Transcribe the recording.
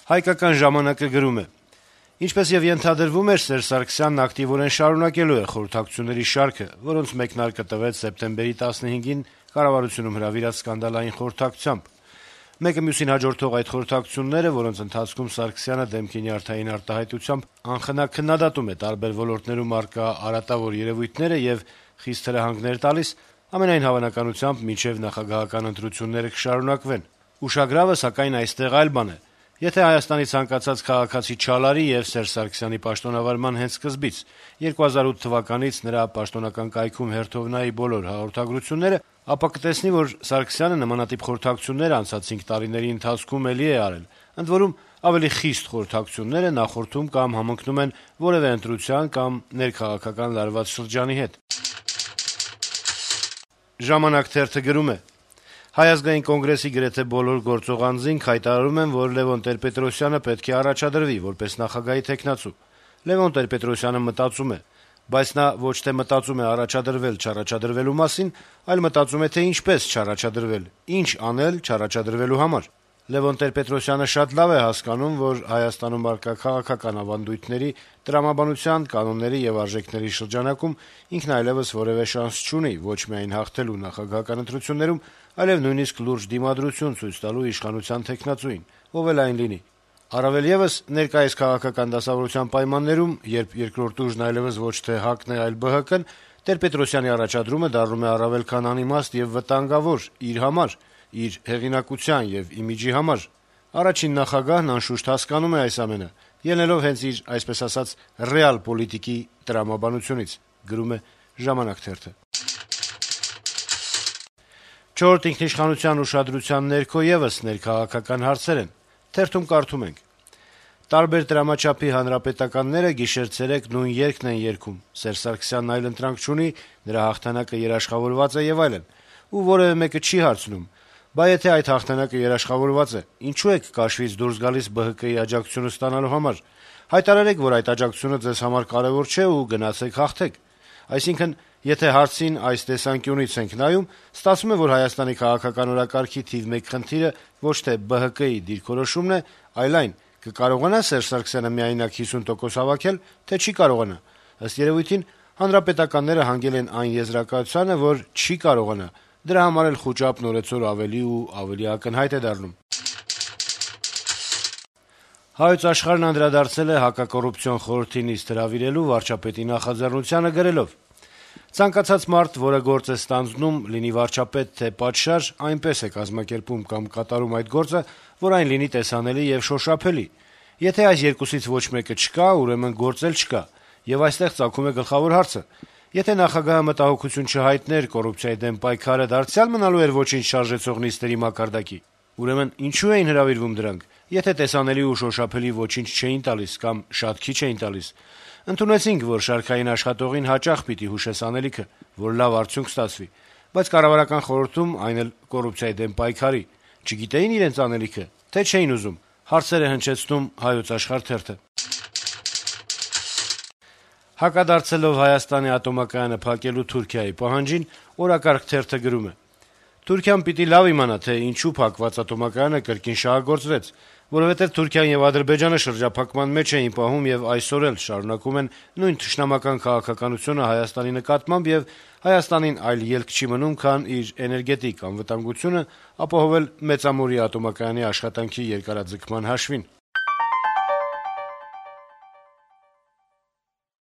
Հայկական ժամանակը գրում է. - Ինչպես եւ ենթադրվում էր, Սերժ Սարգսյանն ակտիվորեն շարունակելու է խորհրդակցությունների շարքը, որոնց մեկնարկը տվեց սեպտեմբերի 15-ին կառավարությունում հրավիրած սկանդալային խորհրդակցությամբ։ Մեկը մյուսին հաջորդող այդ խորհրդակցությունները, որոնց ընթացքում Սարգսյանը դեմքի նյարդային արտահայտությամբ անխնա քննադատում է տարբեր ոլորտներում առկա արատավոր երեւույթները եւ խիստ հրահանգներ տալիս, ամենայն հավանականությամբ մինչեւ նախագահական ընտրությունները կշարունակվեն։ Ուշագրավը, սակայն, այստեղ այլ բան է։ Եթե Հայաստանի ցանկացած քաղաքացի չալարի եւ Սերժ Սարգսյանի պաշտոնավարման հենց սկզբից 2008 թվականից նրա պաշտոնական կայքում հերթով նայի բոլոր հաղորդագրությունները, ապա կտեսնի, որ Սարգսյանը նմանատիպ խորհրդակցություններ անցած 5 տարիների ընթացքում էլի է արել, ընդ որում ավելի խիստ խորհրդակցությունները նախորդում կամ համընկնում են որևէ ընտրության կամ ներքաղաքական լարված շրջանի հետ։ Ժամանակ թերթը գրում է. - Հայ ազգային կոնգրեսի գրեթե բոլոր գործող անձինք հայտարարում են, որ Լևոն Տեր-Պետրոսյանը պետք է առաջադրվի որպես նախագահի թեկնածու։ Լևոն Տեր-Պետրոսյանը մտածում է, բայց նա ոչ թե մտածում է առաջադրվել չառաջադրվելու մասին, այլ մտածում է, թե ինչպես չառաջադրվել, ինչ անել չառաջադրվելու համար։ Լևոն Տեր-Պետրոսյանը շատ լավ է հասկանում, որ Հայաստանում առկա քաղաքական ավանդույթների, տրամաբանության, կանոնների եւ արժեքների շրջանակում ինքն այլեւս որեւէ շանս չունի ոչ միայն հաղթելու նախագահական ընտրություններում, այլեւ նույնիսկ լուրջ դիմադրություն ցույց տալու իշխանության թեկնածուին, ով էլ այն լինի։ Առավել եւս, ներկայիս քաղաքական դասավորության պայմաններում, երբ երկրորդ ուժն այլեւս ոչ թե ՀԱԿ-ն է, այլ ԲՀԿ-ն, Տեր-Պետրոսյանի առաջադրումը դառնում է առավել քան անիմաստ եւ վտանգավոր իր համար, իր հեղինակության եւ իմիջի համար։ Առաջին նախագահն անշուշտ հասկանում է այս ամենը, ելնելով հենց իր, այսպես ասած, ռեալ պոլիտիկի տրամաբանությունից, գրում է «Ժամանակ» թերթը։ Չորրորդ ինքնիշխանության ուշադրության ներքո եւս ներքաղաքական հարցեր են։ Թերթում կարդում ենք. - Տարբեր տրամաչափի հանրապետականները գիշեր-ցերեկ նույն երգն են երգում, Սերժ Սարգսյանն այլ ընտրանք չունի, նրա հաղթանակը երաշխավորված է եւ այլն, ու որեւէ մեկը չի հարցնում. բա եթե այդ հաղթանակը երաշխավորված է, ինչու եք կաշվից դուրս գալիս ԲՀԿ-ի աջակցությունը ստանալու համար։ Հայտարարեք, որ այդ աջակցությունը ձեզ համար կարեւոր չէ ու գնացեք հաղթեք։ Այսինքն, եթե հարցին այս տեսանկյունից ենք նայում, ստացվում է, որ Հայաստանի քաղաքական օրակարգի թիվ 1 խնդիրը ոչ թե ԲՀԿ-ի դիրքորոշումն է, այլ այն, կկարողանա Սերժ Սարգսյանը միայնակ 50% հավաքել, թե չի կարողանա։ Ըստ երևույթին, հանրապետականները հանգել են այն եզրակացությանը, որ չի կարողանա։ Դրա համար էլ խուճապն օրեցօր ավելի ու ավելի ակնհայտ է դառնում։ Հայոց աշխարհն անդրադարձել է հակակոռուպցիոն խորհրդի նիստ հրավիրելու վարչապետի նախաձեռնությանը գրելով. - Ցանկացած մարդ, որը գործ է ստանձնում, լինի վարչապետ թե պատշաճ, այնպես է կազմակերպում կամ կատարում այդ գործը, որ այն լինի տեսանելի եւ շոշափելի։ Եթե այս երկուսից ոչ մեկը չկա, ուրեմն գործ էլ չկա, եւ այստեղ ծագում է գլխավոր հարցը. եթե նախագահը մտահոգություն չհայտներ կոռուպցիայի դեմ պայքարը դարձյալ մնալու էր ոչինչ շարժեցող նիստերի մակարդակի, ուրեմն ինչու էին հրավիրվում դրանք, եթե տեսանելի ու շոշափելի ոչինչ չէին տալիս կամ շատ քիչ էին տալիս։ Ընդունեցինք, որ շարքային աշխատողին հաճախ պիտի հուշես անելիքը, որ լավ արդյունք ստացվի, բայց կառավարական խորհրդում, այն էլ կոռուպցիայի դեմ պայքարի, չգիտեին իրենց անելիքը, թե չէին ուզում, հարցեր է հնչեցնում Հայոց աշխարհ թերթը։ Հակադարձելով Հայաստանի ատոմակայանը փակելու Թուրքիայի պահանջին, Օրակարգ թերթը գրում է. - Թուրքիան պիտի լավ իմանա, թե ինչու փակված ատոմակայանը կրկին շահագործվեց, որովհետեւ Թուրքիան եւ Ադրբեջանը շրջափակման մեջ էին պահում եւ այսօր էլ շարունակում են նույն թշնամական քաղաքականությունը Հայաստանի նկատմամբ եւ Հայաստանին այլ ելք չի մնում, քան իր էներգետիկ անվտանգությունը ապահովել Մեծամորի ատոմակայանի աշխատանքի երկարաձգման հաշվին։